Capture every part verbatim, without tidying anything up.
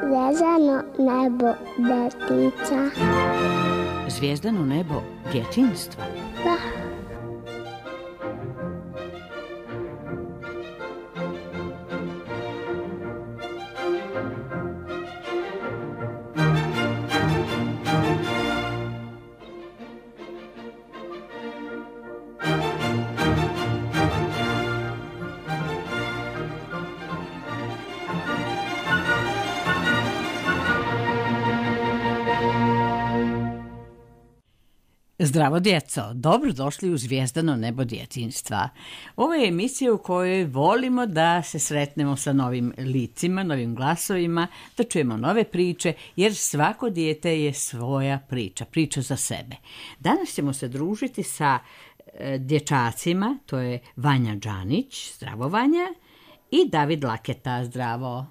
Zvezdano nebo djetica. Zvijezdano nebo djetinjstva? Da. Zdravo djeco, dobrodošli u Zvijezdano nebo djetinjstva. Ovo je emisija u kojoj volimo da se sretnemo sa novim licima, novim glasovima, da čujemo nove priče, jer svako dijete je svoja priča, priča za sebe. Danas ćemo se družiti sa e, dječacima, to je Vanja Đanić, zdravo Vanja, i David Laketa, zdravo.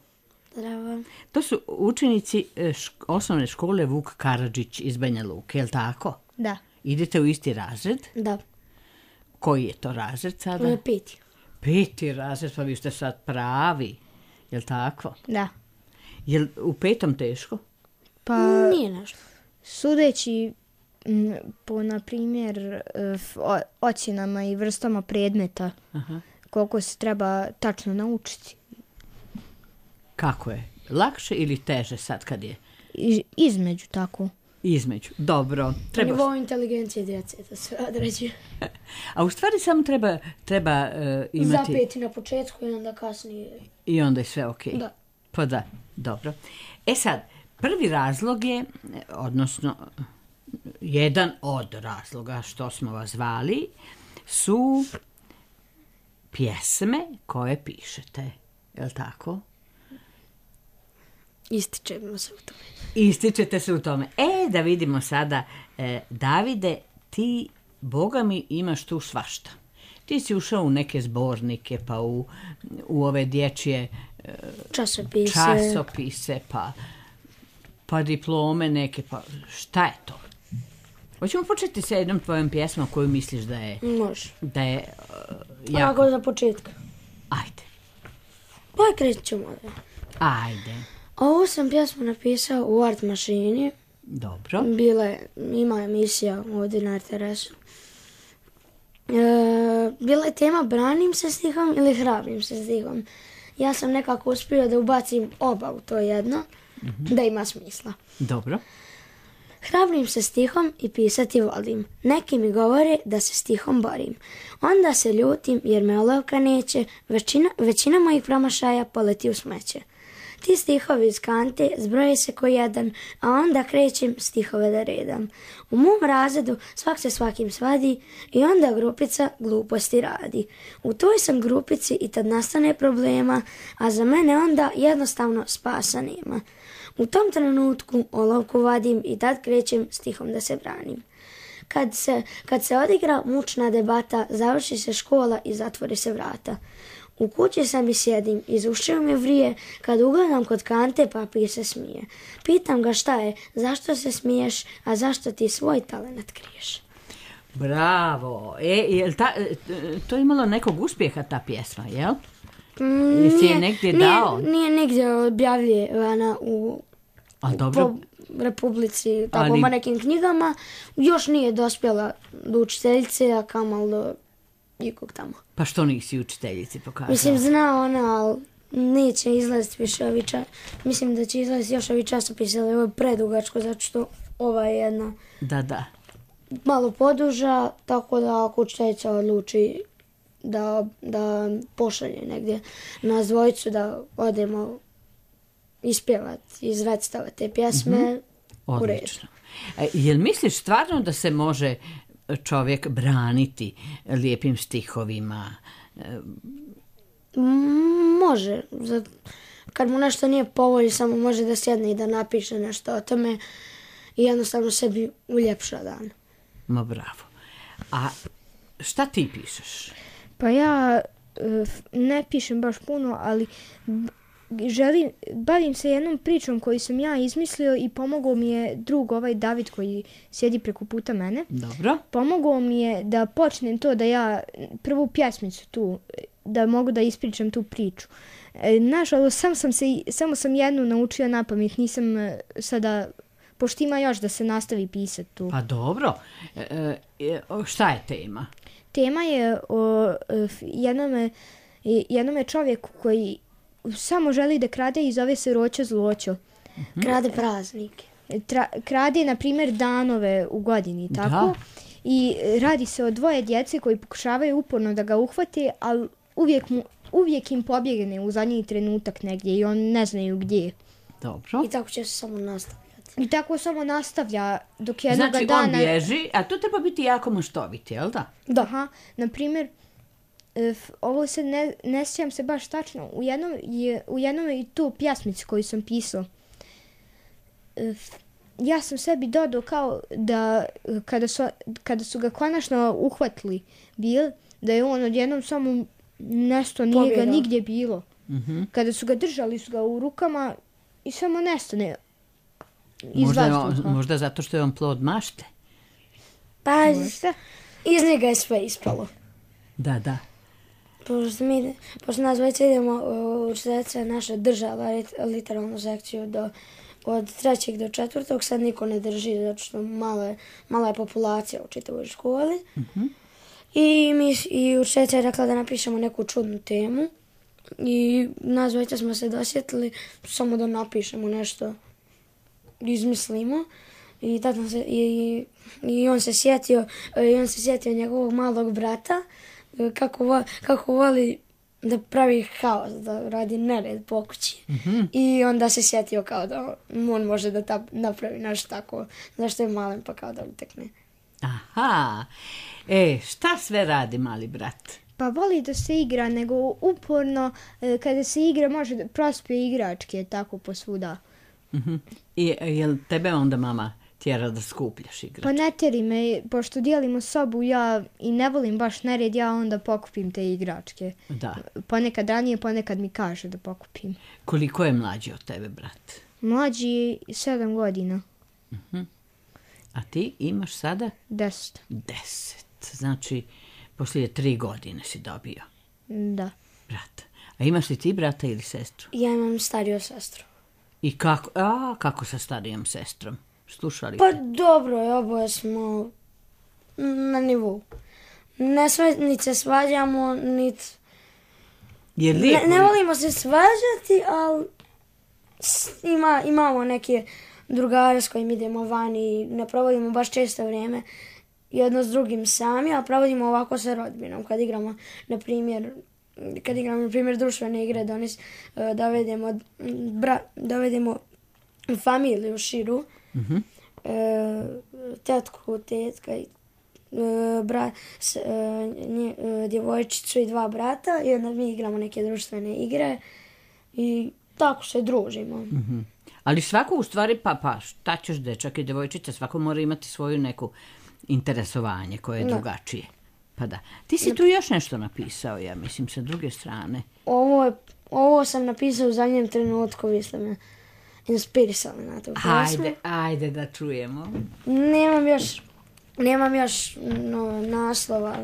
Zdravo. To su učenici e, šk- osnovne škole Vuk Karadžić iz Banja Luke, je li tako? Da. Idete u isti razred? Da. Koji je to razred sada? Peti. Peti razred, pa vi ste sad pravi. Jel' tako? Da. Jel' u petom teško? Pa nije nešto. Sudeći m, po, na primjer, o, ocjenama i vrstama predmeta, Aha. koliko se treba tačno naučiti. Kako je? Lakše ili teže sad kad je? I, između tako. Između. Dobro. Na Treba... nivou inteligencije djece da sve određuje. A u stvari samo treba, treba uh, imati... Zapeti na početku i onda kasnije. I onda je sve okej. Da. Pa da, dobro. E sad, prvi razlog je, odnosno jedan od razloga što smo vas zvali, su pjesme koje pišete. Je li tako? Ističemo se u tome. Ističete se u tome. E, da vidimo sada, e, Davide, ti, Boga mi, imaš tu svašta. Ti si ušao u neke zbornike, pa u, u ove dječje e, Časopise. časopise, pa, pa diplome neke, pa šta je to? Hoćemo početi sa jednom tvojom pjesmom koju misliš da je, Može. da je uh, jako... Ovako za početka. Ajde, Pa krećemo ćemo da. ajde. Ovu sam pjesmu napisao u art mašini. Dobro. Bila ima emisija ovdje na R T R S-u. E, bila je tema branim se stihom ili hrabrim se stihom. Ja sam nekako uspio da ubacim oba u to jedno, mm-hmm. da ima smisla. Dobro. Hrabrim se stihom i pisati volim. Neki mi govore da se stihom borim. Onda se ljutim jer me olovka neće, većina, većina mojih promašaja poleti u smeće. Ti stihovi iz kante zbroje se ko jedan, a onda krećem stihove da redam. U mom razredu svak se svakim svadi i onda grupica gluposti radi. U toj sam grupici i tad nastane problema, a za mene onda jednostavno spasa nema. U tom trenutku olovku vadim i tad krećem stihom da se branim. Kad se, kad se odigra mučna debata, završi se škola i zatvori se vrata. U kući sam i sjedim, iz ušiju mi vrije, kad ugledam kod kante papir se smije. Pitam ga šta je, zašto se smiješ, a zašto ti svoj talent kriješ? Bravo. E, jel ta, to je imalo nekog uspjeha ta pjesma, jel? Mm, Jesi je negdje dao? Nije, nije negdje objavljena u, A, u dobro. po Republici, tako Ali- po nekim knjigama. Još nije dospjela do učiteljice, a kamal do ikog tamo. Pa što nisi učiteljici pokazala? Mislim, zna ona, ali neće izlaziti više ovi čas. Mislim da će izlaziti još ovi časopisi, ali ovo je predugačko, zato što ova je jedna Da, da. malo poduža, tako da ako učiteljica odluči da, da pošalje negdje nas dvojicu da odemo ispjevati, izrecitavati te pjesme, mm-hmm. u redu. Odlično. E, jel misliš stvarno da se može čovjek braniti lijepim stihovima? E, Mm, Može. Za- Kad mu nešto nije po volji, samo može da sjedne i da napiše nešto o tome i jednostavno sebi uljepša dan. ma bravo. A šta ti pišeš? Pa ja uh, ne pišem baš puno, ali želim, bavim se jednom pričom koju sam ja izmislio i pomogao mi je drug ovaj David koji sjedi preko puta mene. Dobro. Pomogao mi je da počnem to da ja prvu pjesmicu tu, da mogu da ispričam tu priču. E, nažalost, sam sam se, samo sam jednu naučio na pamet, nisam sada, pošto ima još da se nastavi pisati tu. Pa dobro. E, e, šta je tema? Tema je o jednome, jednome čovjeku koji samo želi da krade i zove se Roćo Zloćo. Mm-hmm. Krade praznike. Tra, krade, na primjer, danove u godini, tako? Da. I radi se o dvoje djece koji pokušavaju uporno da ga uhvate, ali uvijek, mu, uvijek im pobjegne u zadnji trenutak negdje i on ne znaju gdje. Dobro. I tako će se samo nastavljati. I tako samo nastavlja dok jednog znači, dana... Znači on bježi, a to treba biti jako maštoviti, jel da? Da. Aha, na primjer, ovo se ne, ne sjećam se baš tačno, u jednom je, u jednom je i tu pjesmici koju sam pisao. Ja sam sebi dodao kao da kada su, kada su ga konačno uhvatili bil, da je on odjednom samo nesto, nije ga nigdje bilo. Mm-hmm. Kada su ga držali su ga u rukama i samo nestane iz možda, vazduha. on, možda zato što je on plod mašte. Pa iz njega je sve ispalo. Da, da. Pošto, mi, pošto nas već idemo u četvrtce naše država literalnu sekciju do, od trećeg do četvrtog, sad niko ne drži zato što mala je, mala je populacija u čitavoj školi. Mm-hmm. I mi i učiteljica je rekla da napišemo neku čudnu temu i nas već smo se dosjetili samo da napišemo nešto, izmislimo. I, tada se, i, i on se sjetio, i on se sjetio njegovog malog brata, kako, kako voli da pravi haos, da radi nered po kući. Mm-hmm. I onda se sjetio kao da on može da ta, napravi nešto tako, zašto je malen pa kao da utekne. Aha, e, šta sve radi mali brat? Pa voli da se igra, nego uporno kada se igra može da prospije igračke tako posvuda. Mm-hmm. I jel tebe onda mama tjera da skupljaš igračke? Pa ne tjeri me, pošto dijelimo sobu ja i ne volim baš nered, ja onda pokupim te igračke. Da. Ponekad ranije, ponekad mi kaže da pokupim. Koliko je mlađi od tebe, brat? Mlađi je sedam godina. Mm-hmm. A ti imaš sada? Deset. Deset. Znači, poslije tri godine si dobio. Da. Brat. A imaš li ti brata ili sestru? Ja imam stariju sestru. I kako, a, kako sa starijom sestrom? Slušali? Pa dobro je, oboje smo na nivou. Ne sve, niti se svađamo, niti... Je lijepo. Ne, ne volimo se svađati, ali ima, imamo neke drugare s kojim idemo van i ne provodimo baš često vrijeme jedno s drugim sami, a provodimo ovako sa rodbinom. Kad igramo, na primjer, kad igramo, na primjer, društvene igre, donis, dovedemo, bra, dovedemo familiju širu, Mm-hmm. e, tetku, tetka i e, bra, s, e, nje, e, djevojčicu i dva brata i onda mi igramo neke društvene igre i tako se družimo. Mm-hmm. Ali svako u stvari, pa, pa šta ćeš dečak i djevojčica, svako mora imati svoju neku interesovanje koje je no. drugačije. Pa da. Ti si tu još nešto napisao, ja mislim, sa druge strane. Ovo, je, ovo sam napisao u zadnjem trenutku, vi ste me inspirisali na to. Ajde, ajde da čujemo. Nemam još, nemam još no, naslova,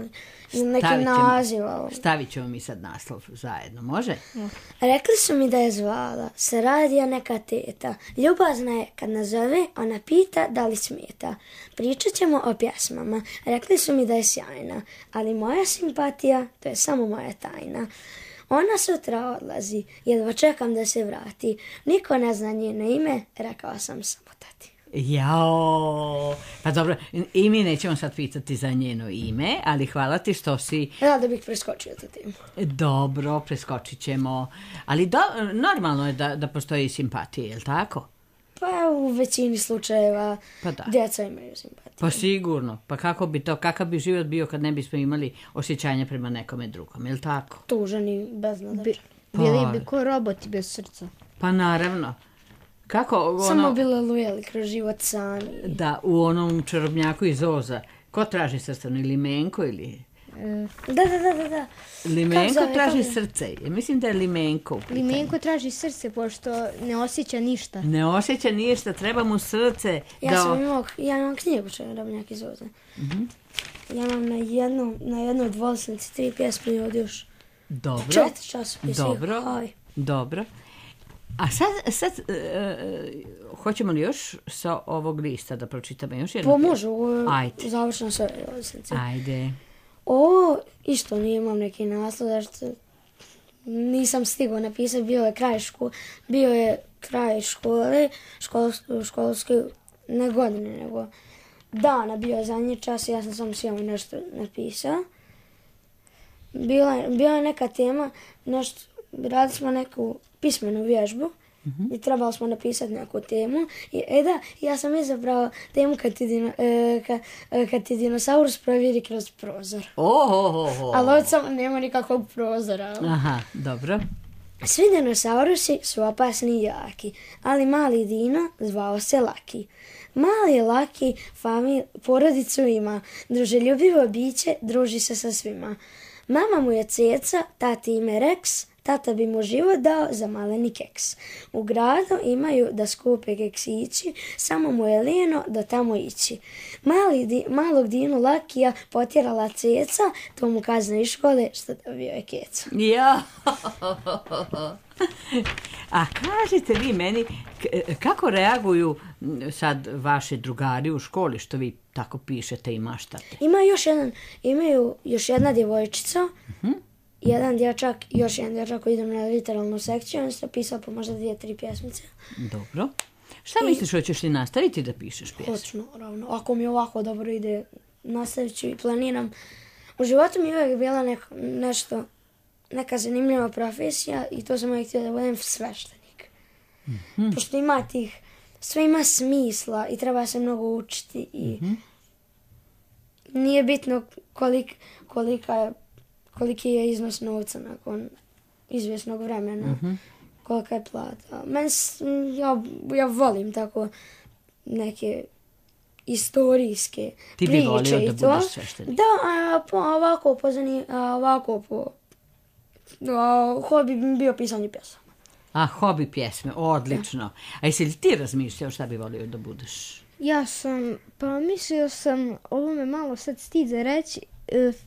neki naziv. Stavit ćemo mi sad naslov zajedno, može? Ja. Rekli su mi da je zvala, se radija neka teta. Ljubazna je kad nazove, ona pita da li smeta. Pričat ćemo o pjesmama. Rekli su mi da je sjajna, ali moja simpatija, to je samo moja tajna. Ona sutra odlazi, jedva čekam da se vrati. Niko ne zna njeno ime, rekao sam samo tati. Jao, pa dobro, i mi nećemo sad pitati za njeno ime, ali hvala ti što si... Ja da bih preskočio to temu. Dobro, preskočit ćemo, ali do, normalno je da, da postoji simpatije, je li tako? Pa u većini slučajeva pa da. Djeca imaju simpatije. Pa sigurno, pa kako bi to, kakav bi život bio kad ne bismo imali osjećanja prema nekome drugom, je li tako? Tužan i beznadačan. Bili pa, bi ko roboti bez srca. Pa naravno. Kako ono... Samo bili lujeli kroz život sami. Da, u onom čarobnjaku iz Oza. Ko traži srcano, ili Menko ili... Da, da, da, da, da. Limenko Kako zove, traži kako? srce. Ja mislim da je limenko u pitanju. Limenko traži srce, pošto ne osjeća ništa. Ne osjeća ništa, treba mu srce. Ja da... sam imao, ja imam knjigu što Drobnjak izvoze. Mm-hmm. Ja imam na jednu, na jednu dvolicnici tri pjesme od još Dobro. četiri časopisa. Dobro. Aj. Dobro. A sad, sad uh, hoćemo li još sa ovog lista da pročitamo još jednu? Pa može, ovo Ajde. završeno sve dvolicnice. Ajde. Ovo isto nije imam neki naslov, zašto nisam stigao napisati, bio je kraj škole, bio je kraj škole, školske, školske, ne godine, nego dana bio je zadnji čas i ja sam samo sjeo i nešto napisao. Bila, bila je neka tema, nešto, radili smo neku pismenu vježbu, mm-hmm. i trebali smo napisati neku temu. I, e da, ja sam izabrao temu kad ti, dino, e, ka, e, kad ti dinosaurus provjeri kroz prozor. Oh, oh, oh, oh. Ali ovdje samo nema nikakvog prozora. Aha, dobro. Svi dinosaurusi su opasni i jaki, ali mali dino zvao se Laki. Mali Laki famil, porodicu ima, druželjubivo biće, druži se sa svima. Mama mu je Ceca, tati ime Rex, tata bi mu život dao za maleni keks. U gradu imaju da skupe keksići, samo mu je lijeno da tamo ići. Mali di, malog dinu Lakija potjerala Ceca, to mu kazna iz škole što dobio je keca. Ja. A kažete vi meni, kako reaguju sad vaši drugari u školi što vi tako pišete i maštate? Ima još jedan, imaju još jedna djevojčica, uh-huh. jedan dječak i još jedan dječak koji idem na literalnu sekciju, on se pisao po možda dvije, tri pjesmice. Dobro. Šta I... misliš, hoćeš li nastaviti da pišeš pjesme? Hoću, naravno. Ako mi ovako dobro ide, nastavit ću i planiram. U životu mi je uvijek bila neko, nešto, neka zanimljiva profesija i to sam uvijek htio da budem sveštenik. Mm-hmm. Pošto ima tih, sve ima smisla i treba se mnogo učiti i mm-hmm. nije bitno kolik, kolika je, koliki je iznos novca nakon izvjesnog vremena, mm-hmm. kolika je plata. Men, ja, ja volim tako neke istorijske Ti priče bi volio i da to. budeš sveštenik. Da, a, po, ovako po zani, a, ovako po a, hobi bi bio pisanje pjesama. A, hobi pjesme, odlično. A jesi li ti razmišljao šta bi volio da budeš? Ja sam, pa mislio sam, ovo me malo sad stid za reći,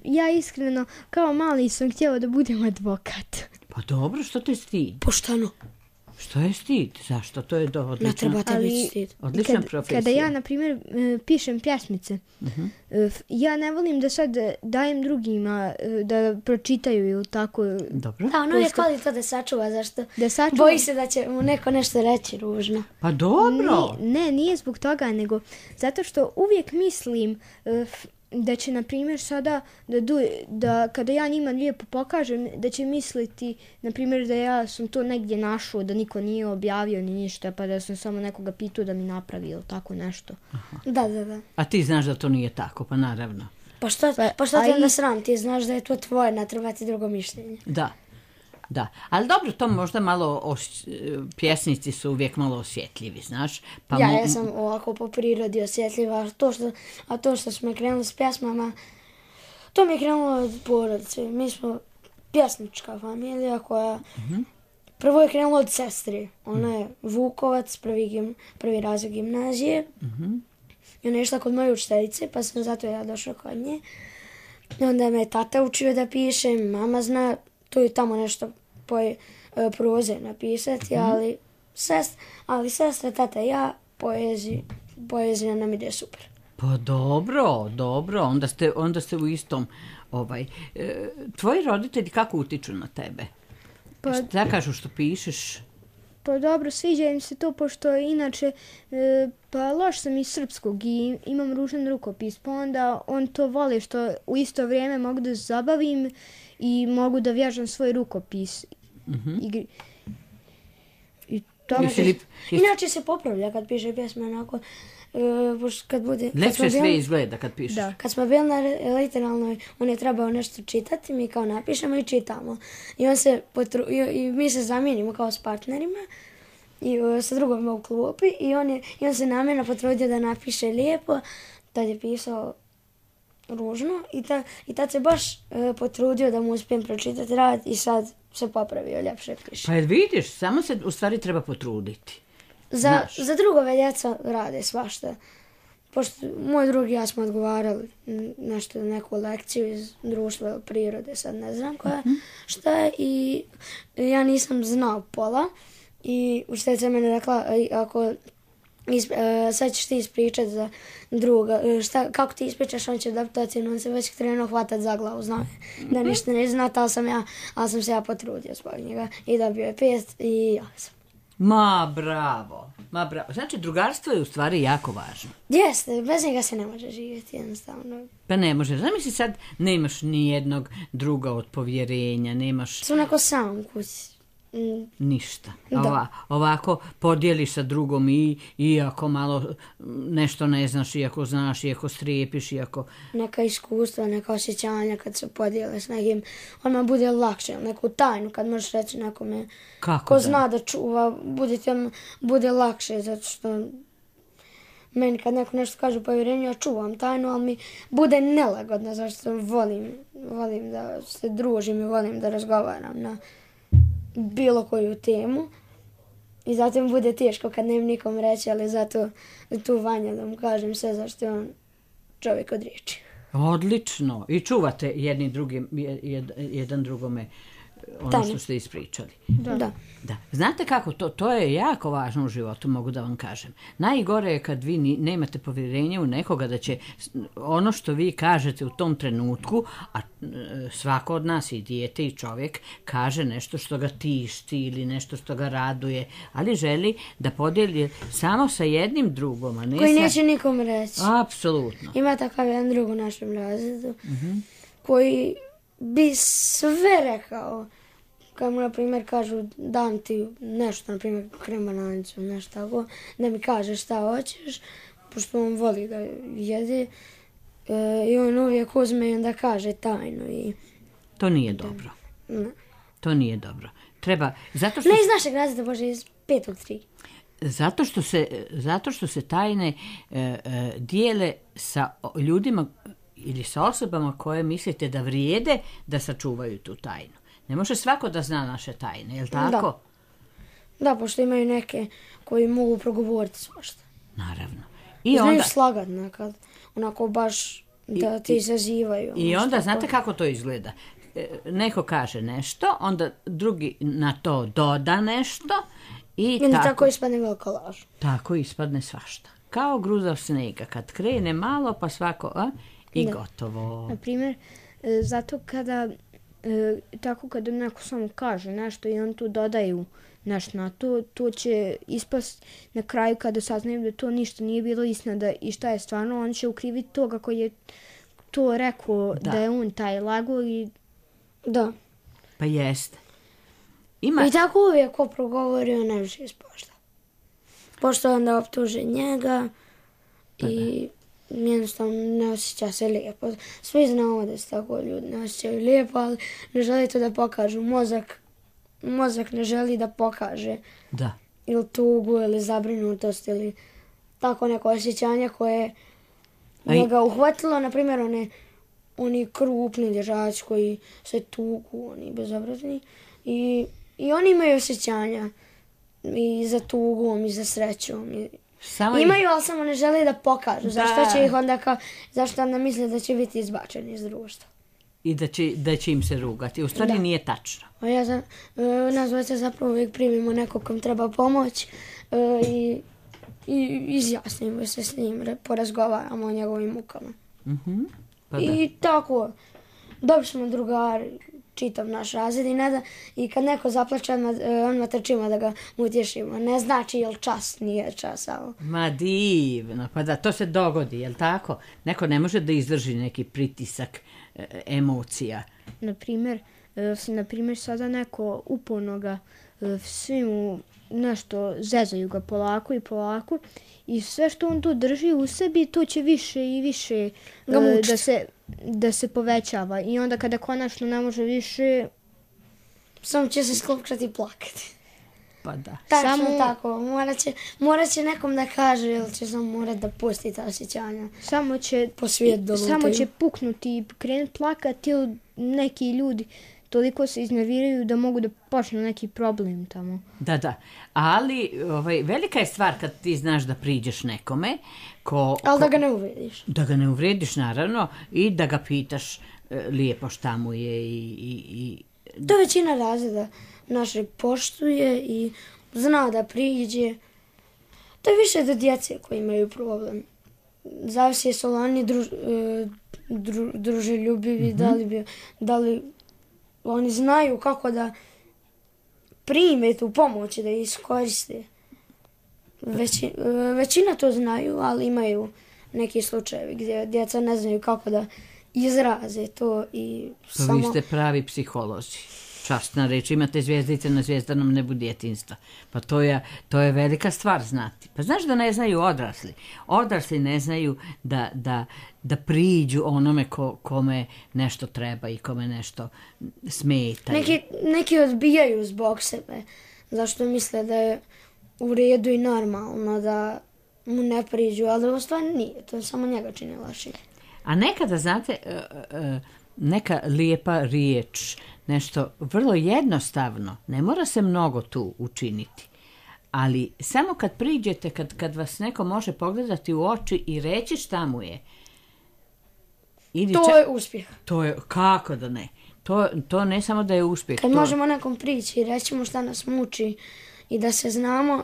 ja iskreno kao mali sam htjela da budem advokat. Pa dobro, što te stid? Pošteno. Što je stid? Zašto? To je do odlično. Ne treba te biti stid. Odlična kad, profesija. Kada ja, na primjer, pišem pjesmice, uh-huh. ja ne volim da sad dajem drugima da pročitaju ili tako. Dobro. Da, ono je kvali to da sačuva, zašto da sačuva. Boji se da će mu neko nešto reći ružno. Pa dobro. Ne, ne, nije zbog toga, nego zato što uvijek mislim uh, da će, na primjer, sada, da, du, da kada ja njima lijepo pokažem, da će misliti, na primjer, da ja sam to negdje našao, da niko nije objavio ni ništa, pa da sam samo nekoga pitao da mi napravi ili tako nešto. Aha. Da, da, da. A ti znaš da to nije tako, pa naravno. Pa što, pa, pa što ti onda sram? Ti znaš da je to tvoje, ne treba ti drugo mišljenje. Da. Da, ali dobro, to možda malo, os... pjesnici su uvijek malo osjetljivi, znaš. Pa ja, mo... ja sam ovako po prirodi osjetljiva, a to što, a to što smo krenuli s pjesmama, to mi je krenulo od porodice. Mi smo pjesnička familija koja, mm-hmm. prvo je krenulo od sestre. Ona je Vukovac, prvi, gim, prvi razred gimnazije. Mm-hmm. I ona je išla kod moje učiteljice, pa sam zato ja došla kod nje. I onda me tata učio da pišem, mama zna, tu i tamo nešto poje, e, proze napisati, mm-hmm. ali, sest, ali sestra, tata i ja, poezija, poezija nam ide super. Pa dobro, dobro, onda ste, onda ste u istom, ovaj, e, tvoji roditelji kako utiču na tebe? Pa, šta kažu što pišeš? Pa dobro, sviđa im se to, pošto inače, e, pa loš sam iz srpskog i imam ružan rukopis, pa onda on to voli što u isto vrijeme mogu da zabavim i mogu da vježam svoj rukopis. Mm-hmm. I, i to Jesi li... Inače se popravlja kad piše pjesme, onako, e, kad bude... Lepše sve izgleda kad pišeš. Da. Kad smo bili na literalnoj, on je trebao nešto čitati, mi kao napišemo i čitamo. I, on se potru, i, i mi se zamijenimo kao s partnerima i o, sa drugom u klupi i on, je, i on se namjerno potrudio da napiše lijepo, tad je pisao ružno i, ta, i tad se baš e, potrudio da mu uspijem pročitati rad i sad se popravio, ljepše piše. Pa jer vidiš, samo se u stvari treba potruditi. Za, za drugove djeca rade svašta. Pošto moj drugi i ja smo odgovarali nešto, neku lekciju iz društva prirode, sad ne znam koja, mm-hmm. šta je, i ja nisam znao pola i učiteljica mene rekla, ako isp, uh, sad ćeš ti ispričati za druga, šta, kako ti ispričaš, on će dobiti ocjenu, on se već krenuo hvatat za glavu, znao je da ništa ne zna, ali sam, ja, ali sam se ja potrudio zbog njega i dobio je pet i ja sam. Ma, bravo. Ma, bravo. Znači, drugarstvo je u stvari jako važno. Jeste, bez njega se ne može živjeti jednostavno. Pa ne može. Zamisli sad, nemaš ni jednog druga od povjerenja, nemaš... Sam neko sam kući. Mm. Ništa. Ova, ovako podijeliš sa drugom i iako malo nešto ne znaš, iako znaš, iako strijepiš, iako... Neka iskustva, neka osjećanja kad se podijele s nekim, odmah bude lakše, neku tajnu kad možeš reći nekome Kako ko da? zna da čuva, bude, tem, bude lakše, zato što meni kad neko nešto kaže povjerenju, ja čuvam tajnu, ali mi bude nelagodno, zato što volim, volim da se družim i volim da razgovaram na bilo koju temu i zato mi bude teško kad nemam nikom reći, ali zato tu Vanja da mu kažem sve zašto je on čovjek od riječi. Odlično. I čuvate jedni drugim, jed, jedan drugome ono Tane. Što ste ispričali. Da. da. Da. Znate kako, to, to je jako važno u životu, mogu da vam kažem. Najgore je kad vi ni, nemate povjerenje u nekoga da će ono što vi kažete u tom trenutku, a svako od nas i dijete i čovjek kaže nešto što ga tišti ili nešto što ga raduje, ali želi da podijeli samo sa jednim drugom, a ne koji sa... neće nikom reći. Apsolutno. Ima takav jedan drug u našem razredu mm-hmm. koji bi sve rekao. Kad mu, na primjer, kažu dam ti nešto, na primjer, kremananicu, nešto tako, da mi kažeš šta hoćeš, pošto on voli da jede, e, i on uvijek uzme i onda kaže tajnu. I... To nije dobro. Ne. To nije dobro. Treba, zato što... Ne iz našeg razreda, bože, iz petog tri. Zato što se, zato što se tajne e, e, dijele sa ljudima ili sa osobama koje mislite da vrijede da sačuvaju tu tajnu. Ne može svako da zna naše tajne, je li tako? Da, da, pošto imaju neke koji mogu progovoriti svašta. Naravno. I znaju onda... slagat nekad, onako baš da ti izazivaju. I onda, znate kako to izgleda? Neko kaže nešto, onda drugi na to doda nešto i, I tako, tako ispadne velika laž. Tako ispadne svašta. Kao gruzav snega, kad krene malo pa svako, a, i da. Gotovo. Na primjer, zato kada... E, tako kada neko samo kaže nešto i on tu dodaju nešto na to, to će ispast na kraju kada saznaju da to ništa nije bilo istina da, i šta je stvarno, on će ukriviti toga koji je to rekao da, da je on taj lago i da. Pa jeste. Ima... I tako uvijek ko progovori, on ne više ispošta. Pošto onda optuže njega pa i... Da. Jednostavno ne osjeća se lijepo. Svi znamo da se tako ljudi ne osjećaju lijepo, ali ne želi to da pokažu. Mozak, mozak ne želi da pokaže. Da. Ili tugu, ili zabrinutost, ili tako neko osjećanje koje je ga uhvatilo. Naprimjer, one, oni krupni dječaci koji se tugu, oni bezobrazni. I, i oni imaju osjećanja i za tugom, i za srećom, i Samo imaju, ih... ali samo ne žele da pokažu. Da. Zašto će ih onda kao, zašto onda misle da će biti izbačeni iz društva. I da će, da će im se rugati. U stvari da. Nije tačno. A ja za, e, nas dvojica zapravo uvijek primimo nekog kom treba pomoć e, i, i izjasnimo se s njim, porazgovaramo o njegovim mukama. Mm-hmm. Pa I tako, dobri smo drugari, čitav naš razred i, ne da, i kad neko zaplače, odmah, odmah trčimo da ga utješimo. Ne znači jel čas, nije čas. Ali... Ma divno, pa da, to se dogodi, jel tako? Neko ne može da izdrži neki pritisak e, emocija. Naprimjer, e, naprimjer, sada neko uporno ga, e, svi mu nešto zezaju ga polako i polako i sve što on tu drži u sebi, to će više i više e, da se... da se povećava i onda kada konačno ne može više, samo će se sklopčati i plakati. dopada. Tačno Samo- tako, morat će, morat će nekom da kaže ili će samo morat da pusti ta osjećanja. Samo će, Po svijet da samo lutaju. će puknuti i krenuti plakati ili neki ljudi toliko se iznerviraju da mogu da počnu neki problem tamo. Da, da. Ali ovaj, velika je stvar kad ti znaš da priđeš nekome ko... Ali ko- da ga ne uvrediš. Da ga ne uvrediš, naravno, i da ga pitaš e, lijepo šta mu je i... i, i To većina razreda našeg poštuje i zna da priđe. To je više do djece koji imaju problem. Zavisi jesu li oni druž, e, dru, druželjubivi, da, li bi, da li oni znaju kako da prime tu pomoć i da je iskoriste. Veći, e, većina to znaju, ali imaju neki slučajevi gdje djeca ne znaju kako da izraze to i Pa samo... vi ste pravi psiholozi. Časna reč, imate zvijezdice na zvijezdanom nebu djetinjstva. Pa to je, to je velika stvar znati. Pa znaš da ne znaju odrasli. Odrasli ne znaju da, da, da priđu onome ko, kome nešto treba i kome nešto smeta. Neki, neki odbijaju zbog sebe, zašto misle da je u redu i normalno da mu ne priđu, ali u stvari nije, to samo njega čini lošim. A nekada, znate, e, e, neka lijepa riječ, nešto vrlo jednostavno, ne mora se mnogo tu učiniti. Ali samo kad priđete, kad, kad vas neko može pogledati u oči i reći šta mu je, ili To ča- je uspjeh. to je, kako da ne? To, to ne samo da je uspjeh. Kad to, možemo nekom prići i reći mu šta nas muči i da se znamo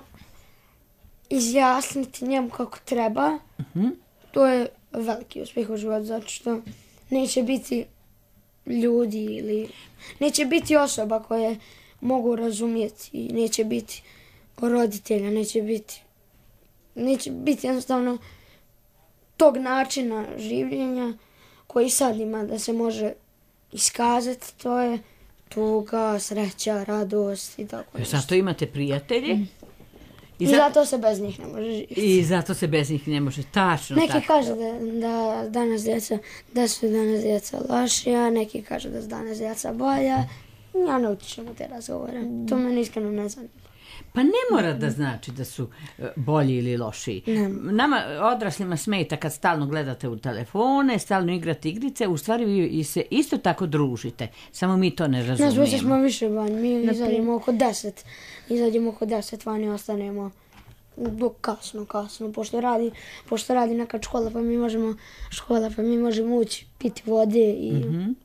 izjasniti njemu kako treba, to je veliki uspjeh u životu, zato što neće biti ljudi ili neće biti osoba koje mogu razumjeti i neće biti roditelja, neće biti neće biti jednostavno tog načina življenja koji sad ima da se može iskazati, to je tuga, sreća, radost i tako E, nešto. Zato imate prijatelje i, I za- zato se bez njih ne može živjeti. i zato se bez njih ne može. Tačno Neki tako. kažu da, da danas djeca, da su danas djeca lošija, neki kažu da su danas djeca bolja. Ja ne utičem u te razgovore. To me iskreno ne zanima. Pa ne mora da znači da su e, bolji ili lošiji. Nama odraslima smeta kad stalno gledate u telefone, stalno igrate igrice, u stvari vi se isto tako družite. Samo mi to ne Nas razumijemo. više smo više van. Mi izađemo oko deset. Izađemo oko deset van i ostanemo do kasno, kasno. Pošto radi, pošto radi neka škola pa mi možemo, škola pa mi možemo ući, piti vode i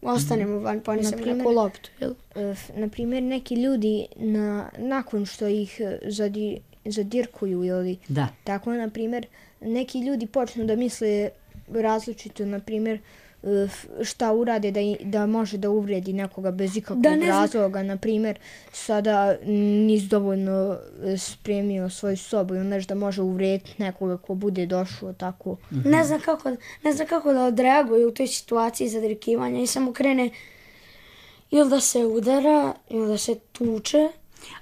ostanemo van pa oni se Naprimjer- neku loptu. Jel? E, f- na primjer, neki ljudi na, nakon što ih e, zadi, zadirkuju ili Da. tako, na primjer, neki ljudi počnu da misle različito, na primjer, e, f- šta urade da, i- da može da uvredi nekoga bez ikakvog Da ne zna- razloga. Na primjer, sada nisi dovoljno e, spremio svoju sobu ili nešto da može uvrediti nekoga ko bude došao tako. Ne znam kako, ne znam kako da odreaguje u toj situaciji zadrkivanja i samo krene ili da se udara, ili da se tuče.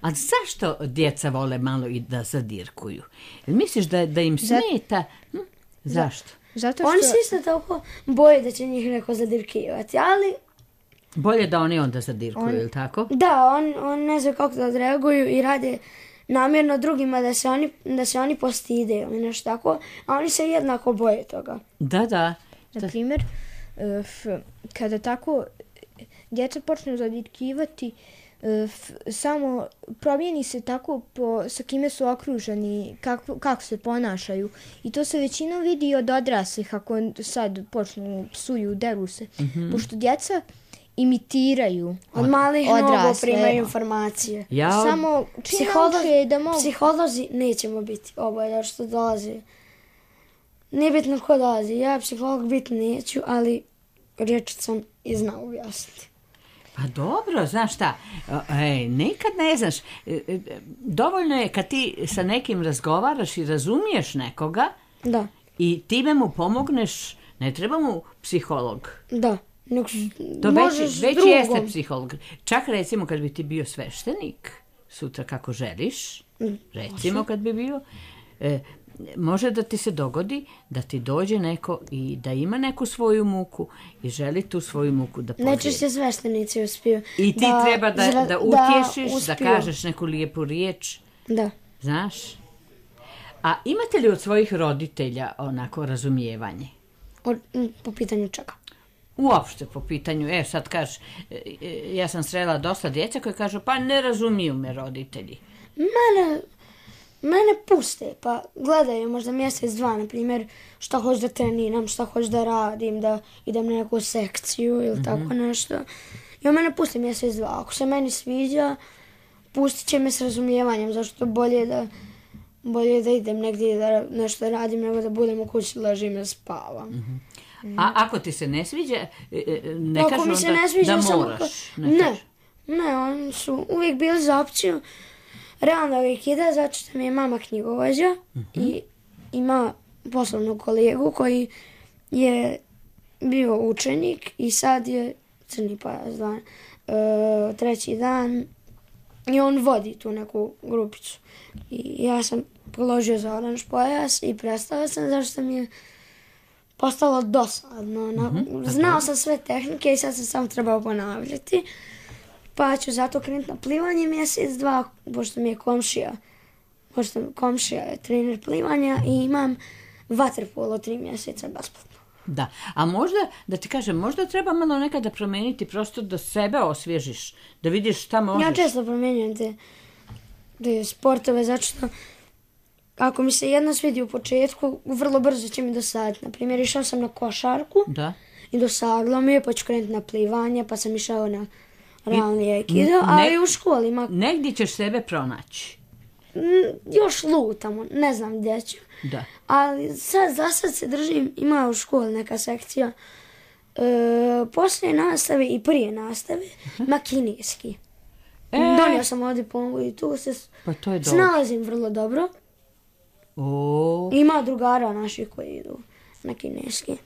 A zašto djeca vole malo i da zadirkuju? Jel misliš da, da im smeta? Hm? Zašto? Zato što... Oni se isto tako boje da će njih neko zadirkivati, ali Bolje da oni onda zadirkuju, ili tako? da, on, on ne zna kako da odreaguju i rade namjerno drugima da se oni, da se oni postide ili nešto tako, a oni se jednako boje toga. Da, da. Na primjer, e, f- kada tako djeca počnu zadirkivati, e, f- samo promijeni se tako po, sa kime su okruženi, kako, kako se ponašaju. I to se većinom vidi od odraslih ako sad počnu psuju, deru se. Pošto djeca imitiraju Od malih nogu odrasle. primaju informacije. Ja od- Samo čim Psiholo- nauče da mogu... Psiholozi nećemo biti oboje, zato što dolazi. Nije bitno ko dolazi, ja psiholog biti neću, ali rječicom i znam objasniti. Pa dobro, znaš šta, ej, nikad ne znaš, E, e, dovoljno je kad ti sa nekim razgovaraš i razumiješ nekoga Da, i time mu pomogneš, ne treba mu psiholog. da. Nek, To možeš već, s već drugom. jeste psiholog. Čak recimo kad bi ti bio sveštenik, sutra kako želiš, recimo kad bi bio, e, može da ti se dogodi da ti dođe neko i da ima neku svoju muku i želi tu svoju muku da podijeli. Najčešće sveštenici uspiju. I ti da treba da, zra- da utješiš, da, uspiju. kažeš neku lijepu riječ. Da. Znaš? A imate li od svojih roditelja onako razumijevanje? O, m, po pitanju čega? Uopšte po pitanju, e sad kažeš, ja sam srela dosta djeca koji kažu pa ne razumiju me roditelji. Mene, mene puste, pa gledaju možda mjesec, dva, na primjer, šta hoću da treniram, šta hoću da radim, da idem na neku sekciju ili mm-hmm. tako nešto. I on mene pusti mjesec, dva. Ako se meni sviđa, pustit će me s razumijevanjem, zašto bolje da, bolje da idem negdje da nešto radim, nego da budem u kući, ležim i spavam. Mm-hmm. A ako ti se ne sviđa, ne ako kažu mi onda se ne sviđa, da samo moraš. Ka... Ne, ne, ne, oni su uvijek bili za opciju. Realno uvijek ide, zato što mi je mama knjigovođa mm-hmm. i ima poslovnog kolegu koji je bio učenik i sad je crni pojas dan, e, treći dan i on vodi tu neku grupicu. I ja sam položio za oranž pojas i prestao sam zašto mi je postalo dosadno. Mm-hmm. Znao sam sve tehnike i sad sam samo trebao ponavljati. Pa ću zato krenuti na plivanje mjesec, dva, pošto mi je komšija. Pošto komšija je trener plivanja i imam vaterpolo tri mjeseca besplatno. Da, a možda, da ti kažem, možda treba malo nekada promijeniti prosto da sebe osvježiš, da vidiš šta možeš. Ja često promijenjam te, te sportove, zato što ako mi se jedno svidi u početku, vrlo brzo će mi dosaditi. Naprimjer, išao sam na košarku da. I dosadilo mi je, pa ću krenuti na plivanje, pa sam išao na realni aikido, ali ne, u školi ima... Negdje ćeš sebe pronaći. Još lutamo, ne znam gdje ću. Da. Ali sad, za sad se držim, ima u školi neka sekcija, e, poslije nastave i prije nastave, uh-huh. ima kineski. E. Donio sam ovdje diplomu i tu se pa to je snalazim vrlo dobro. O. Ima drugara naših koji idu na kineski.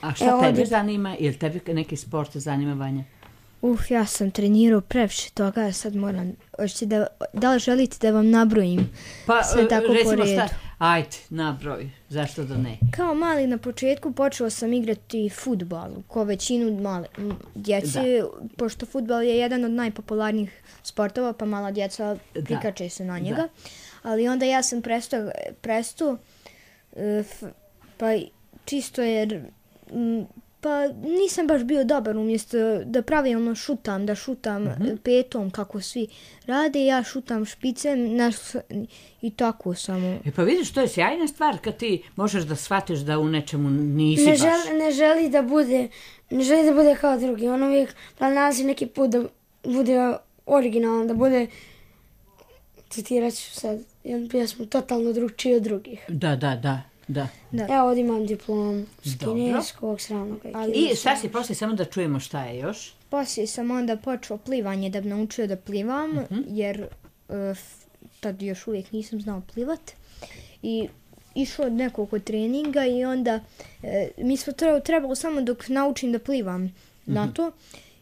A šta e, tebe ovdje... zanima? Ili tebe neki sport zanima, Vanja? Uf, ja sam trenirao previše toga, sad moram, da, da li želite da vam nabrojim pa, sve tako po redu? Šta, ajde, nabroj, zašto da ne? Kao mali na početku počeo sam igrati fudbal, ko većinu male djece, da. Pošto fudbal je jedan od najpopularnijih sportova, pa mala djeca prikače se na njega. Da. Ali onda ja sam prestao, prestao pa čisto jer... Pa nisam baš bio dobar, umjesto da pravilno šutam, da šutam mm-hmm. petom kako svi rade, ja šutam špicem naš, i tako samo. E pa vidiš, to je sjajna stvar kad ti možeš da shvatiš da u nečemu nisi ne baš. Želi, ne želi da bude, ne želi da bude kao drugi, on uvijek nalazi neki put da bude originalan, da bude, citirat ću sad jednu pjesmu, totalno drugčiji od drugih. Da, da, da. Da. Da. Ja ovdje imam diplom s kineskog, sravnog aikido. I šta si poslije, samo da čujemo šta je još? Poslije sam onda počeo plivanje da bi naučio da plivam, uh-huh. jer uh, tad još uvijek nisam znao plivat. I išao od nekoliko treninga i onda uh, mi smo trebalo samo dok naučim da plivam uh-huh. na to.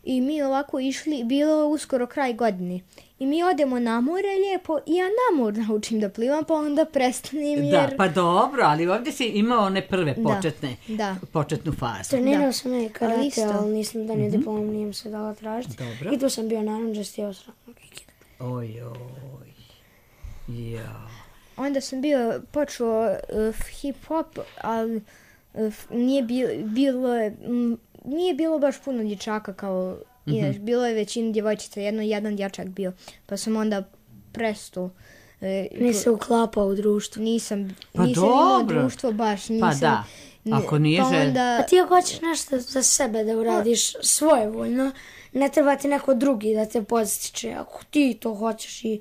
I mi ovako išli, bilo uskoro kraj godine. I mi odemo na more lijepo i ja na more naučim da plivam, pa onda prestanem jer... Da, pa dobro, ali ovdje si imao one prve početne, da, da. početnu fazu. Trenirao sam je karate, ali nisam da nije mm-hmm. diplom, nije se dala tražiti. Dobro. I tu sam bio naravno stijao sravnog aikido. Oj, oj, ja. Onda sam bio počeo uh, hip-hop, ali uh, nije bilo... bilo um, Nije bilo baš puno dječaka kao mm-hmm. inač, bilo je većina djevojčica, jedno jedan dječak bio, pa sam onda prestao. E, Nisi uklapao u društvo? Nisam, pa nisam imao društvo baš, nisam. Pa da, ako nije pa želj. onda... A ti ako hoćeš nešto za sebe da uradiš pa... svojevoljno, ne treba ti neko drugi da te podstiče, ako ti to hoćeš i...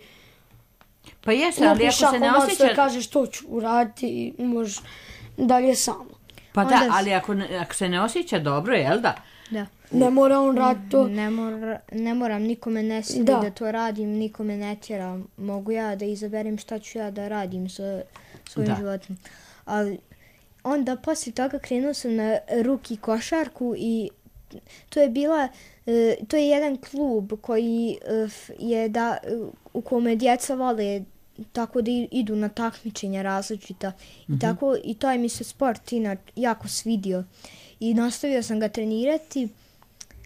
Pa jeste, ali ako se ne osjeća... Ako kažeš to ću uraditi i možeš dalje samo. Pa onda da, ali ako, ako se ne osjeća dobro, jel da? Da. Ne mora on raditi to. Ne, mora, ne moram, nikome ne sili da. da to radim, nikome ne tjeram. Mogu ja da izaberem šta ću ja da radim sa svojim da. životom. Ali onda poslije toga krenuo sam na ruki košarku i to je bila, to je jedan klub koji je da, u kome djeca vole tako da idu na takmičenja različita mm-hmm. i tako i to je mi se sport inače jako svidio i nastavio sam ga trenirati,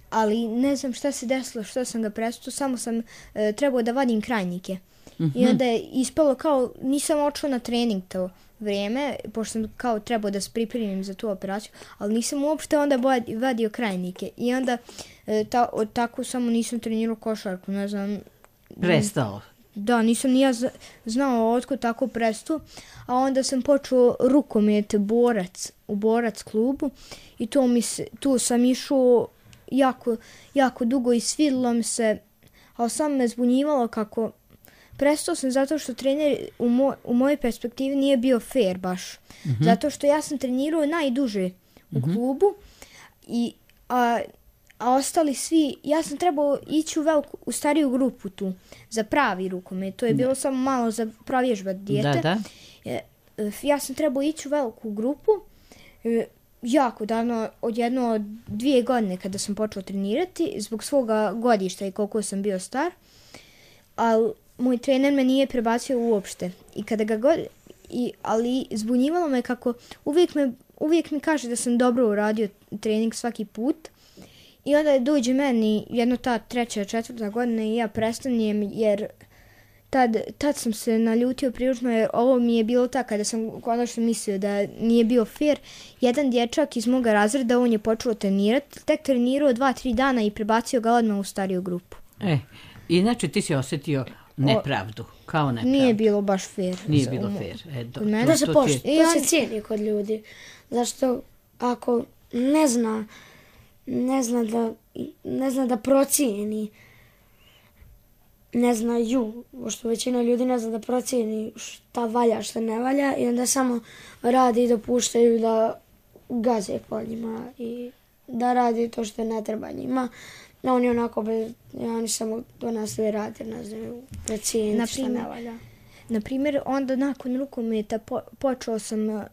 ali ne znam šta se desilo, što sam ga prestao, samo sam e, trebao da vadim krajnike I onda je ispalo kao, nisam očeo na trening to vrijeme, pošto sam kao trebao da se pripremim za tu operaciju, ali nisam uopšte onda vadio krajnike. I onda e, ta, od tako samo nisam trenirao košarku, ne znam. Prestao. Da, nisam ni ja znao otkud tako prestao, a onda sam počeo rukomet borac u borac klubu i to mi se, tu sam išao jako, jako dugo i svidilo mi se, ali sam me zbunjivalo kako prestao sam zato što trener u, moj, u mojoj perspektivi nije bio fair baš. Mm-hmm. Zato što ja sam trenirao najduže u mm-hmm. klubu i a, a ostali svi, ja sam trebao ići u veliku, u stariju grupu tu, za pravi rukomet. To je bilo da. Samo malo za provježbati dijete. Da, da. Ja sam trebao ići u veliku grupu, jako davno, od jedno od dvije godine kada sam počeo trenirati, zbog svoga godišta i koliko sam bio star, ali moj trener me nije prebacio uopšte. I kada ga god, i, ali zbunjivalo me kako uvijek, me, uvijek mi kaže da sam dobro uradio trening svaki put. I onda dođe meni jedno ta treća, četvrta godina i ja prestanem jer tad, tad sam se naljutio prilično jer ovo mi je bilo tako kada sam konačno mislio da nije bio fair. Jedan dječak iz moga razreda, on je počeo trenirati, tek trenirao dva, tri dana i prebacio ga odmah u stariju grupu. E, inače ti si osjetio nepravdu, kao nepravdu. Nije bilo baš fair. Nije bilo fair. E, do, to, to, se to, pošt, je... to se cijeni kod ljudi. Zašto ako ne zna ne zna da ne zna da procijeni, ne znaju, pošto većina ljudi ne zna da procijeni šta valja, šta ne valja i onda samo radi i dopuštaju da gaze po njima i da radi to što ne treba njima. No, oni onako bez, ja, oni samo to nastavi raditi, ne znaju procijeniti šta ne valja. Naprimjer, onda nakon rukometa po, počeo sam uh,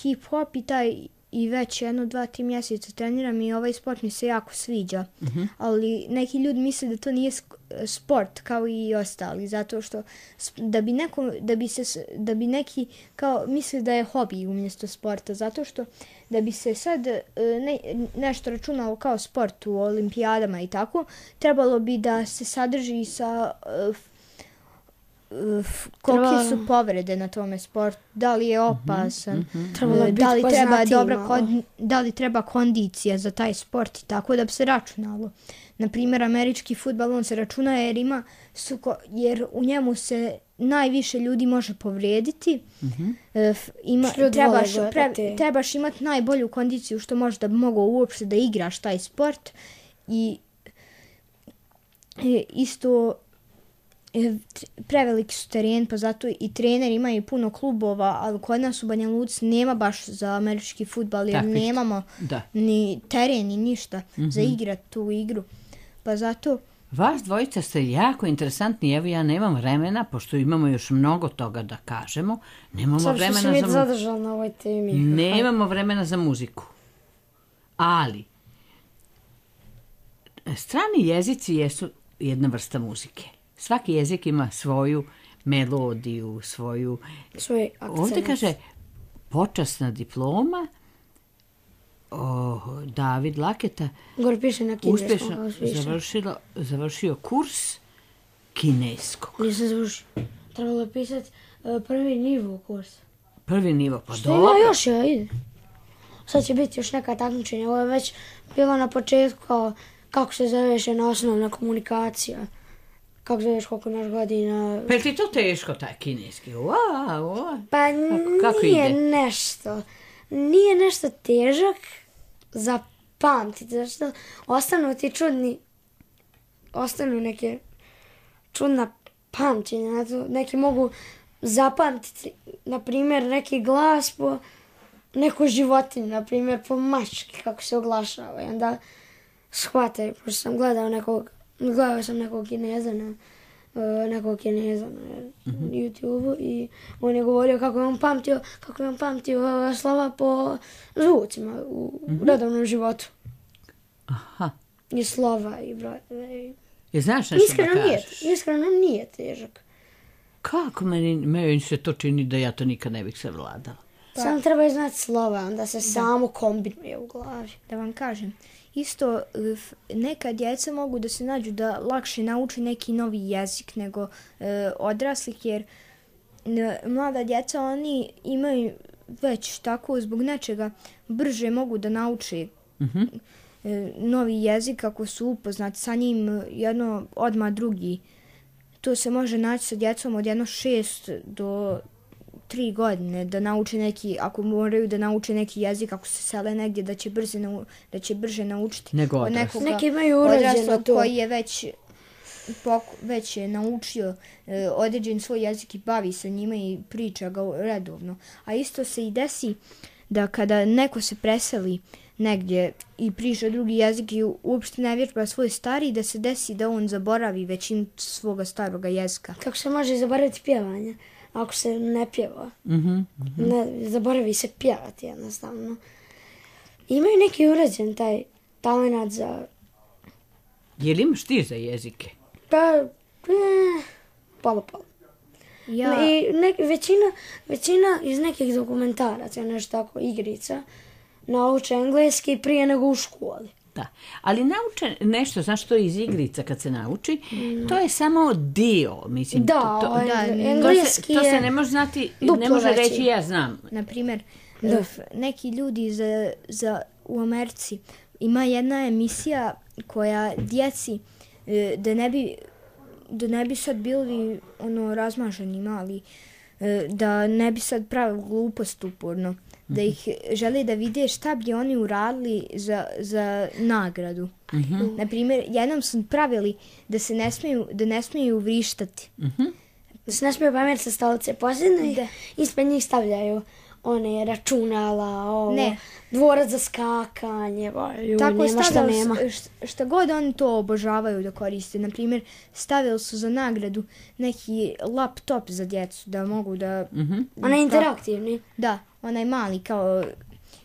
hip-hop i taj i već jedno, dva, tri mjeseca treniram i ovaj sport mi se jako sviđa. Mm-hmm. Ali neki ljudi misle da to nije sport kao i ostali, zato što da bi, neko, da bi, se, da bi neki kao misle da je hobi umjesto sporta, zato što da bi se sad ne, nešto računalo kao sport u olimpijadama i tako, trebalo bi da se sadrži sa uh, kolike su povrede na tome sportu, da li je opasan, mm-hmm. da, li treba dobra kon, da li treba kondicija za taj sport i tako da bi se računalo. Naprimjer, američki fudbal, on se računa jer ima suko, jer u njemu se najviše ljudi može povrijediti. Mm-hmm. Ima, trebaš, pre, trebaš imati najbolju kondiciju što možeš da bi mogao uopšte da igraš taj sport i isto preveliki su teren, pa zato i treneri imaju puno klubova, ali kod nas u Banja Luci nema baš za američki fudbal, jer tak, nemamo da. Ni teren, ni ništa mm-hmm. za igrati tu igru. Pa zato... Vas dvojica ste jako interesantni, evo ja nemam vremena, pošto imamo još mnogo toga da kažemo, nemamo Sam vremena za mu... zadržala na ovoj temi. Nemamo vremena za muziku. Ali, strani jezici jesu jedna vrsta muzike. Svaki jezik ima svoju melodiju, svoju... Svoj akcent. Ovdje kaže počasna diploma, oh, David Laketa Gore piše na uspješno završilo, završio kurs kineskog. Nisam završio. Trebalo je pisati uh, prvi nivo kurs. Prvi nivo, pa što dobro. Što ima još, ja ide. Sad će biti još neka takmičenja. Ovo je već bilo na početku kao kako se zoveš jedna osnovna komunikacija. Kako zoveš, koliko imaš godina? Pa je ti to teško, taj kineski? Wow, wow. Pa kako, kako nije ide? nešto. Nije nešto težak za pamtiti. Zašto ostanu ti čudni, ostanu neke čudna pamćenja. Neki mogu zapamtiti, na primjer, neki glas po neku životinju, na primjer, po mački, kako se oglašava. I onda shvataju, pošto sam gledao nekog Gledao sam nekog Kineza na, uh, nekog Kineza na mm-hmm. YouTube-u i on je govorio kako je on pamtio, kako je on pamtio uh, slova po zvucima u mm-hmm. redovnom životu. Aha. I slova i brojeve. I znaš nešto iskreno da kažeš? Nije, iskreno nije težak. Kako meni, meni se to čini da ja to nikad ne bih savladala. Pa. Samo treba znati slova, onda se da. samo kombinuje u glavi. Da vam kažem, isto f- neka djeca mogu da se nađu da lakše nauči neki novi jezik nego e, odraslih, jer e, mlada djeca oni imaju već tako zbog nečega brže mogu da nauče Mhm. e, novi jezik ako su upoznati sa njim jedno odmah drugi. To se može naći sa djecom od jedno šest do tri godine da nauče neki, ako moraju da nauče neki jezik, ako se sele negdje da će brže, nau, da će brže naučiti. Nego od odrasli. nekoga Neki imaju urađeno odraslog to. koji je već poku, već je naučio e, određen svoj jezik i bavi se njima i priča ga redovno. A isto se i desi da kada neko se preseli negdje i priča drugi jezik i uopšte ne vježba svoj stari, da se desi da on zaboravi većinu svoga staroga jezika. Kako se može zaboraviti pjevanje ako se ne pjeva? Mhm. Ne, zaboravi se pjevati jednostavno. Imaju neki urađen taj talent za... Je li imaš ti za jezike? Pa, eh, polo polo. Ja, I ne, većina, većina iz nekih dokumentaraca, nešto tako, igrica, nauče engleski prije nego u školi. Da, ali nauče nešto, znaš što je iz igrica kad se nauči, to je samo dio, mislim. Da, to, to, ovaj, da, to, se, engleski to se je ne može znati, ne duplo može veći. reći ja znam. na primjer, Da. f- neki ljudi za, za, u Americi ima jedna emisija koja djeci, e, da ne bi, da ne bi sad bili ono razmaženi mali, e, da ne bi sad pravili glupost uporno, da ih žele da vide šta bi oni uradili za, za nagradu. Na primjer, jednom su pravili da se ne smiju, da ne smiju vrištati. Da se ne smije pamet sa stolice posljedno i Da. ispred njih stavljaju one računala, ovo, Ne. dvorac za skakanje, ba, ju, Tako nema šta stavljali nema. su- št- šta god oni to obožavaju da koriste. Na primjer, stavili su za nagradu neki laptop za djecu da mogu da... Ona je interaktivni. Da, onaj mali kao...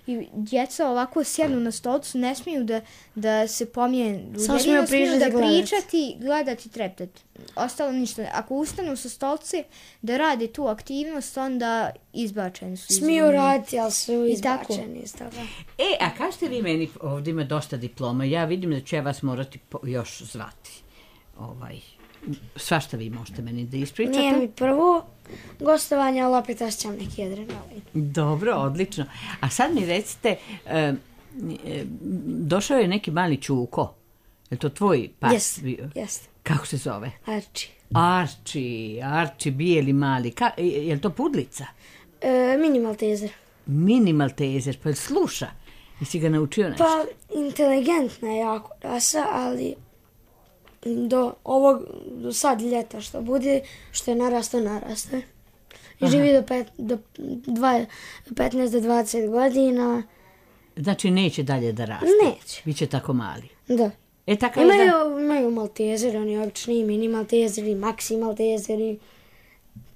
I djeca ovako sjednu na stolcu, ne smiju da, da se pomijenu. Samo Jedino smiju smiju pričati da i gledati. pričati, gledati i treptati. Ostalo ništa. Ako ustanu sa stolce da rade tu aktivnost, onda izbačeni su. iz Smiju nje. raditi, ali su I tako. izbačeni iz toga. E, a kažete vi meni, ovdje ima dosta diploma, ja vidim da ću ja vas morati po- još zvati. Ovaj, svašta vi možete meni da ispričate. Nije mi prvo gostovanje, ali opet osjećam neki adrenalin. Dobro, odlično. A sad mi recite, e, e, došao je neki mali čuko. Je to tvoj pas Jest, bio? jest. Kako se zove? Arči. Arči, Arči, bijeli mali. Ka, je je li to pudlica? E, mini maltezer. Mini maltezer, pa jel sluša? Jesi ga naučio nešto? Pa, inteligentna je jako rasa, ali do ovog, do sad ljeta što bude, što je narastao, narastao. I živi do, pet, do dva, petnaest do dvadeset godina. Znači neće dalje da raste? Neće. Biće tako mali. Da. E, tako je da... Imaju, imaju maltezeri, oni obični mini maltezeri, maxi maltezeri.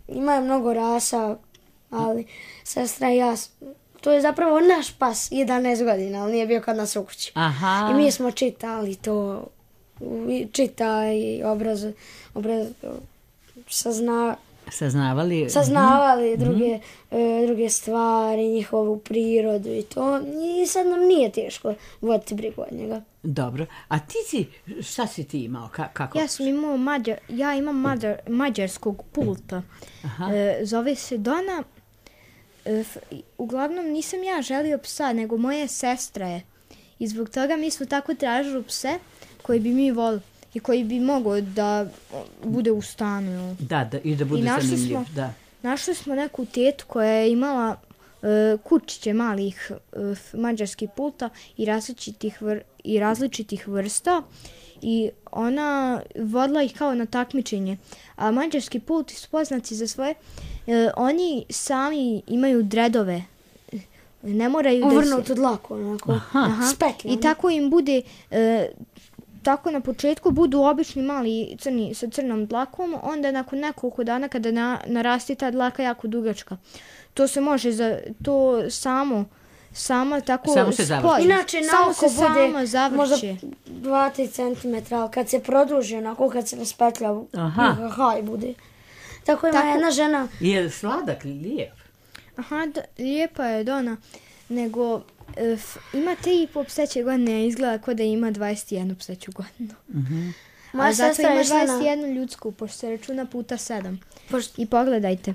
Imaju mnogo rasa, ali sestra i ja, s- to je zapravo naš pas, jedanaest godina, ali nije bio kod nas u kući. Aha. I mi smo čitali to, i čita i obraz, obraz, sazna, Saznavali? saznavali druge, e, druge stvari, njihovu prirodu i to. I sad nam nije teško voditi brigu od njega. Dobro. A ti si, šta si ti imao? Ka, kako? Ja sam imao mađar, ja imam mađar, mađarskog pulta. Aha. E, zove se Dona. E, f- uglavnom nisam ja želio psa, nego moja sestra je. I zbog toga mi smo tako tražili pse koji bi mi volili i koji bi mogao da o, bude u stanu. jel? Da, da, i da bude I našli zanimljiv. smo- Da. Našli smo neku tetu koja je imala e, kučiće malih e, f- mađarskih pulta i različitih, vr, i različitih vrsta i ona vodila ih kao na takmičenje. A mađarski pulti su poznati za svoje, e, oni sami imaju dredove. Ne moraju da se... Uvrnuto dlaku, onako, Aha. spetljano. I tako im bude, e, tako na početku budu obični mali crni sa crnom dlakom, onda nakon nekoliko dana kada na, narasti ta dlaka jako dugačka. To se može za to samo samo tako Samo se završi. spoji. Inače, na samo oko se bude samo završi. možda dva do tri centimetra, ali kad se produži, onako kad se raspetlja, Aha. haj bude. Tako ima Tako- jedna žena, Je li sladak, lijep? Aha, da, lijepa je Dona, nego F, ima tri i po pseće godine, a izgleda kao da ima dvadeset jednu pseću godinu. Mhm. A zato ima dvadeset jednu ljudsku, pošto se računa puta sedam. Pošto... I pogledajte,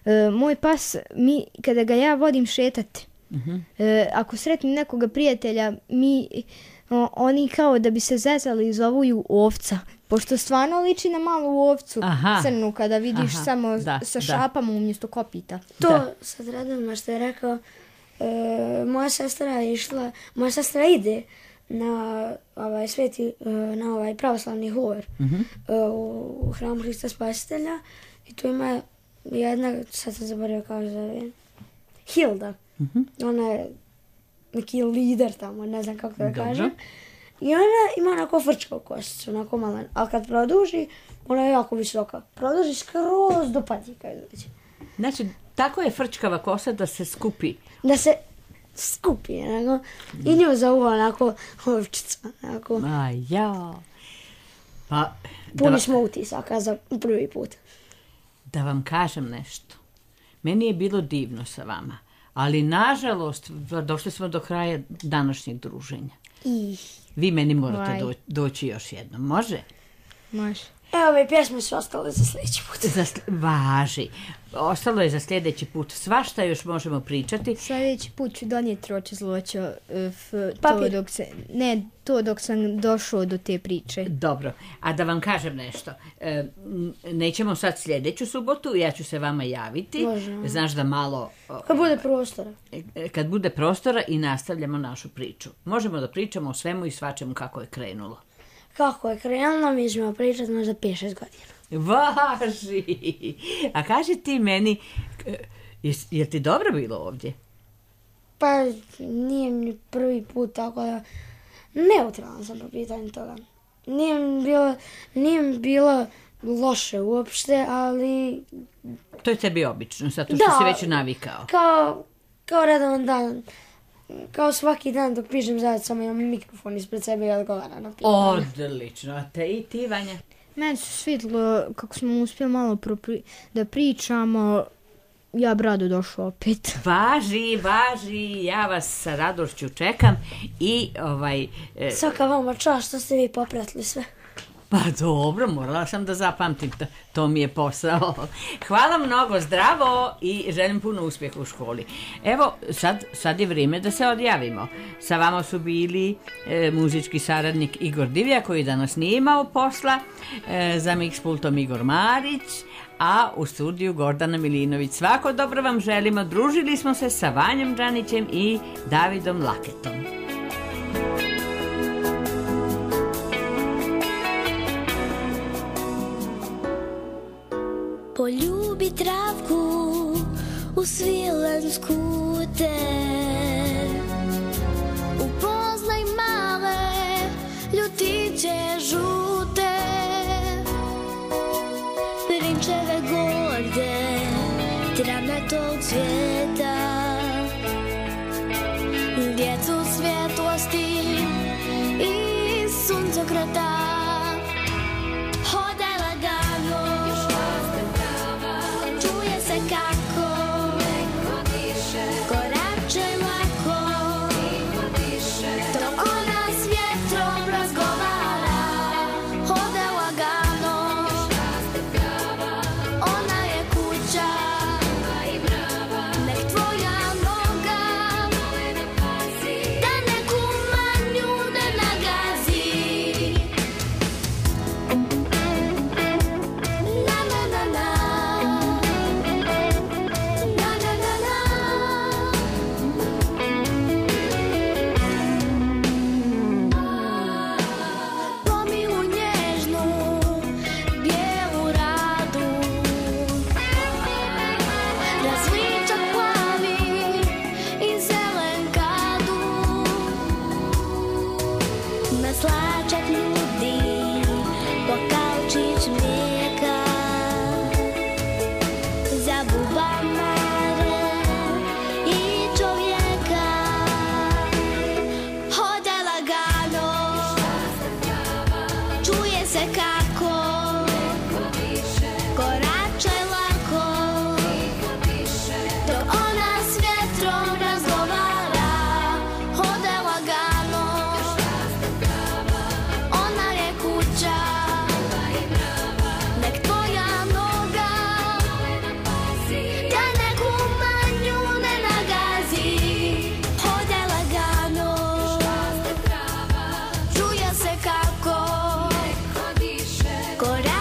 e, moj pas, mi, kada ga ja vodim šetati, Mhm. e, ako sretnim nekoga prijatelja, mi, o, oni kao da bi se zezali zovu ju ovca. Pošto stvarno liči na malu ovcu, Aha. crnu, kada vidiš Aha, samo da, sa da. šapama umjesto kopita. To Da. sad radimo što je rekao, e, moja sestra je išla, moja sestra ide na ovaj sveti, e, na ovaj pravoslavni hovor Mhm. e, u, u hramu Hrista Spasitelja i tu ima jedna, sad sam zaboravio kako se zove, Hilda. Mhm. Ona je neki lider tamo, ne znam kako da Dobro. kažem. I ona ima onako frčkavu kosicu, onako malen, ali kad produži, ona je jako visoka. Produži skroz do patika izađe. Znači, tako je frčkava kosa da se skupi. Da se skupi, onako, i nju zovu onako ovčica, onako. A ja. Pa, da, Puni va- smo utisaka za prvi put. da vam kažem nešto. Meni je bilo divno sa vama, ali nažalost došli smo do kraja današnjeg druženja. I... Vi meni morate Vaj. do- doći još jednom, može? Može. Evo, ove pjesme su ostale za sljedeći put. Za sl- važi. Ostalo je za sljedeći put. Svašta još možemo pričati. Sljedeći put ću donijeti roče zloćo, f, to Papir. dok se, ne, to dok sam došao do te priče. Dobro, a da vam kažem nešto. E, n- nećemo sad sljedeću subotu, ja ću se vama javiti. Može. Znaš da malo... o, Kad bude prostora. e, kad bude prostora i nastavljamo našu priču. Možemo da pričamo o svemu i svačemu kako je krenulo. Kako je krenulo, mi ćemo pričati možda pet šest godina. Važi! A kaži ti meni, e, jes- je ti dobro bilo ovdje? Pa nije mi prvi put, tako da neutralan sam po pitanju toga. Nije mi bilo, nije mi bilo loše uopšte, ali To je tebi obično, zato što Da. si već navikao. kao, kao redovan dan, kao svaki dan dok pišem zajedno, samo imam mikrofon ispred sebe i odgovaram na pitanje. Odlično, a te i ti, Vanja? Meni se svidilo kako smo uspjeli malo propri- da pričamo, ja bi rado došao opet. Važi, važi, ja vas sa radošću čekam i ovaj... e, Svaka vama čast što ste vi popratili sve. Pa dobro, morala sam da zapamtim, to, to mi je posao. Hvala mnogo, zdravo i želim puno uspjeha u školi. Evo, sad, sad je vrijeme da se odjavimo. Sa vama su bili e, muzički saradnik Igor Divlja, koji danas nije imao posla, e, za mix pultom Igor Marić, a u studiju Gordana Milinović. Svako dobro vam želimo, družili smo se sa Vanjom Đanićem i Davidom Laketom. Poljubi travku u svilensku te, upoznaj male ljutiće žute, prinčeve gorde, travnatog cvijeta, djecu svjetlosti i suncokreta. Hodaj lagano, čuje se kako korače lako, dok ona s vjetrom razgovara. Hodaj lagano, ona je kuća, nek tvoja noga da neku manju ne nagazi. Na na na na, na na na na. Pomilu nježnu bijelu radu, različak plavi i zelen kadu, maslačak nudi pokaučić mlijeka, za bubamare i čovjeka. Hodaj lagano, čuje se kako koračaj lako, dok ona s vjetrom razgovara. corazón.